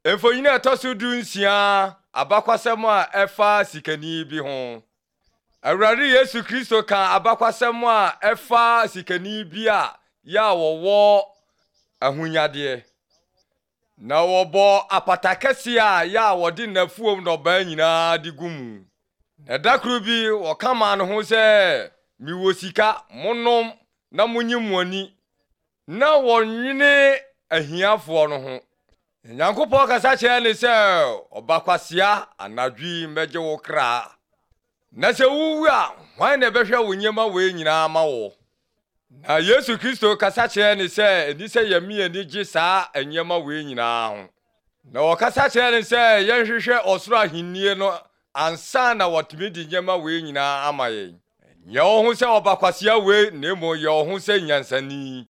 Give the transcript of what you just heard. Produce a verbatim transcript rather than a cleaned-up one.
Mfonini a ɛtɔ so du nsia, abakwasɛm a ɛfa sikani bi ho. Awurade Yesu Kristo ka abakwasɛm a ɛfa sikani bi a yɛ a wɔwɔ ahonyadeɛ. Na wɔbɔ apata kɛseɛ a yɛ a wɔde n'afuom nnɔbae nyinaa de gu mu. Na da koro bi wɔka maa ne ho sɛ, mewɔ sika, monom na monye mo ani. Na wɔnwene ahiafoɔ no ho. Nyankopɔn kasa kyerɛɛ ne sɛ, ɔbakwasea, anadwo yi mɛgye wo kra. Na sɛ wowu a, hwan na ɛbɛhwɛ wo nneɛma wei nyinaa ma wo? Na Yesu Kristo kasa kyerɛɛ ne sɛ, ɛni sɛ yɛme ani gye saa nneɛma wei nyinaa ho. Na wɔkasa kyerɛɛ ne sɛ yɛnhwehwɛ ɔsoro ahennie no ansa na wɔtumi de nneɛma wei nyinaa ama yɛn. Nyɛ wo ho sɛ ɔbakwasea wei na mmom yɛ wo ho sɛ nyansani.